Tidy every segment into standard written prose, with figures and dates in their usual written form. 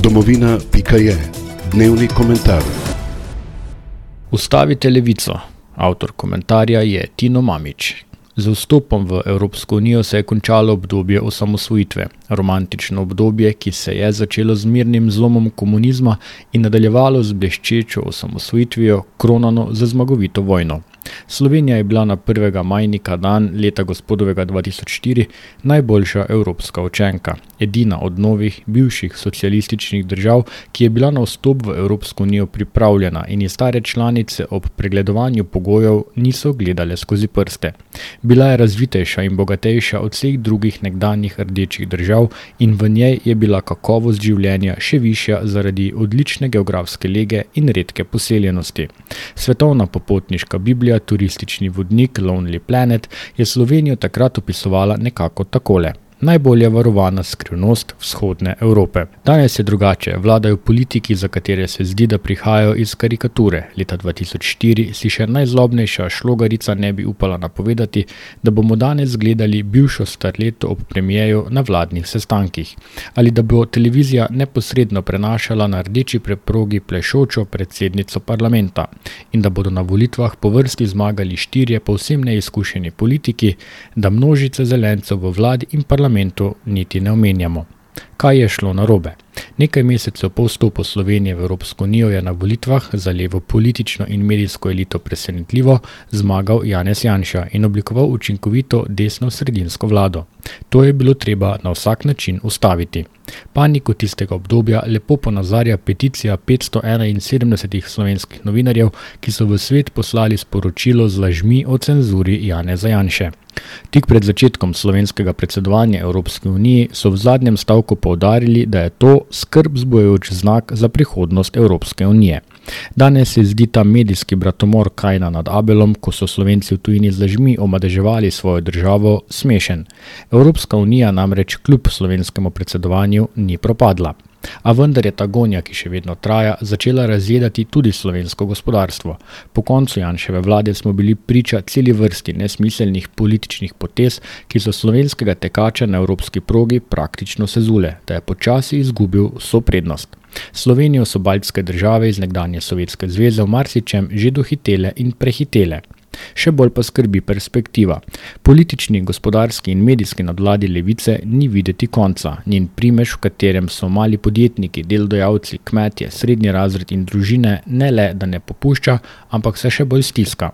Domovina.je. Dnevni komentar. Ustavite levico. Avtor komentarja je Tino Mamić. Z vstopom v Evropsko unijo se je končalo obdobje osamosvojitve, romantično obdobje, ki se je začelo z mirnim zlomom komunizma in nadaljevalo z bleščečo osamosvojitvijo, kronano z zmagovito vojno. Slovenija je bila na 1. majnika dan leta gospodovega 2004 najboljša evropska učenka, edina od novih, bivših socialističnih držav, ki je bila na vstop v Evropsko unijo pripravljena in je stare članice ob pregledovanju pogojev niso gledale skozi prste. Bila je razvitejša in bogatejša od vseh drugih nekdanjih rdečih držav in v njej je bila kakovost življenja še višja zaradi odlične geografske lege in redke poseljenosti. Svetovna popotniška Biblija, turistični vodnik Lonely Planet, je Slovenijo takrat opisovala nekako takole. Najbolje varovana skrivnost vzhodne Evrope. Danes je drugače, vladajo politiki, za katere se zdi, da prihajajo iz karikature. Leta 2004 si še najzlobnejša šlogarica ne bi upala napovedati, da bomo danes gledali bivšo starleto ob premijeju na vladnih sestankih. Ali da bo televizija neposredno prenašala na rdeči preprogi plešočo predsednico parlamenta. In da bodo na volitvah po vrsti zmagali 4 povsem neizkušeni politiki, da množice zelencev v vladi in parlamentu niti ne omenjamo. Kaj je šlo narobe? Nekaj mesecev po vstopu Slovenije v Evropsko unijo je na volitvah za levo politično in medijsko elito presenetljivo zmagal Janez Janša in oblikoval učinkovito desno-sredinsko vlado. To je bilo treba na vsak način ustaviti. Paniko tistega obdobja lepo ponazarja peticija 571 slovenskih novinarjev, ki so v svet poslali sporočilo z lažmi o cenzuri Janeza Janše. Tik pred začetkom slovenskega predsedovanja Evropski uniji so v zadnjem stavku poudarili, da je to skrb vzbujajoč znak za prihodnost Evropske unije. Danes se zdi ta medijski bratomor Kajna nad Abelom, ko so Slovenci v tujini z lažmi omadeževali svojo državo, smešen. Evropska unija namreč kljub slovenskemu predsedovanju ni propadla. A vendar je ta gonja, ki še vedno traja, začela razjedati tudi slovensko gospodarstvo. Po koncu Janševe vlade smo bili priča celi vrsti nesmiselnih političnih potez, ki so slovenskega tekača na evropski progi praktično sezule, da je počasi izgubil vso prednost. Slovenijo so baltske države iz nekdanje Sovjetske zveze v marsičem že dohitele in prehitele. Še bolj pa skrbi perspektiva. Politični, gospodarski in medijski nadvladi levice ni videti konca. Njen primež, v katerem so mali podjetniki, delodajalci, kmetje, srednji razred in družine ne le, da ne popušča, ampak se še bolj stiska.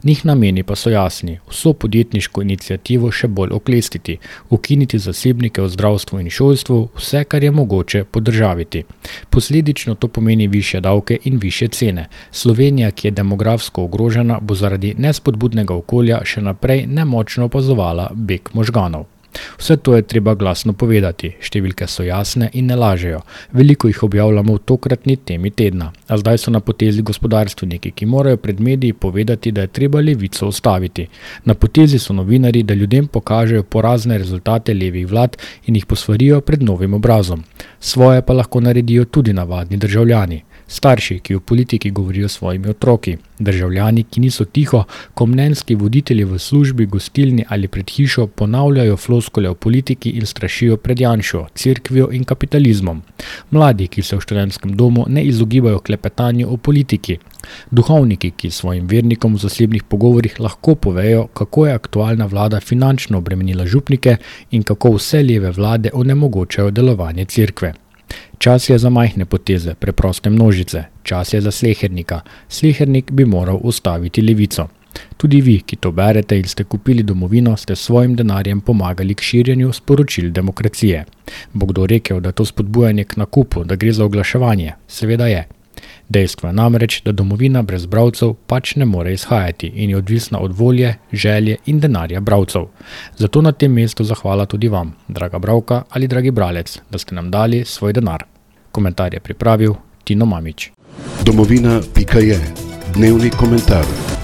Njih nameni pa so jasni. Vso podjetniško iniciativo še bolj oklestiti, ukiniti zasebnike v zdravstvu in šolstvu, vse, kar je mogoče podržaviti. Posledično to pomeni višje davke in višje cene. Slovenija, ki je demografsko ogrožena, bo zaradi nespodbudnega okolja še naprej nemočno opazovala beg možganov. Vse to je treba glasno povedati, številke so jasne in ne lažejo. Veliko jih objavljamo v tokratni temi tedna, a zdaj so na potezi gospodarstveniki, ki morajo pred mediji povedati, da je treba levico ustaviti. Na potezi so novinarji, da ljudem pokažejo porazne rezultate levih vlad in jih posvarijo pred novim obrazom. Svoje pa lahko naredijo tudi navadni državljani. Starši, ki v politiki govorijo s svojimi otroki, državljani, ki niso tiho, ko mnenjski voditelji v službi, gostilni ali pred hišo ponavljajo floskule o politiki in strašijo pred Janšo, cerkvijo in kapitalizmom. Mladi, ki se v študentskem domu ne izogibajo klepetanju o politiki. Duhovniki, ki svojim vernikom v zasebnih pogovorih lahko povejo, kako je aktualna vlada finančno obremenila župnike in kako vse leve vlade onemogočajo delovanje cerkve. Čas je za majhne poteze, preproste množice. Čas je za slehernika. Slehernik bi moral ustaviti levico. Tudi vi, ki to berete in ste kupili Domovino, ste svojim denarjem pomagali k širjenju sporočil demokracije. Bo kdo rekel, da to spodbujanje k nakupu, da gre za oglaševanje? Seveda je. Dejstvo je namreč, da Domovina brez bralcev pač ne more izhajati in je odvisna od volje, želje in denarja bralcev. Zato na tem mestu zahvala tudi vam, draga bralka ali dragi bralec, da ste nam dali svoj denar. Komentar je pripravil Tino Mamić. Domovina.je. Dnevni komentar.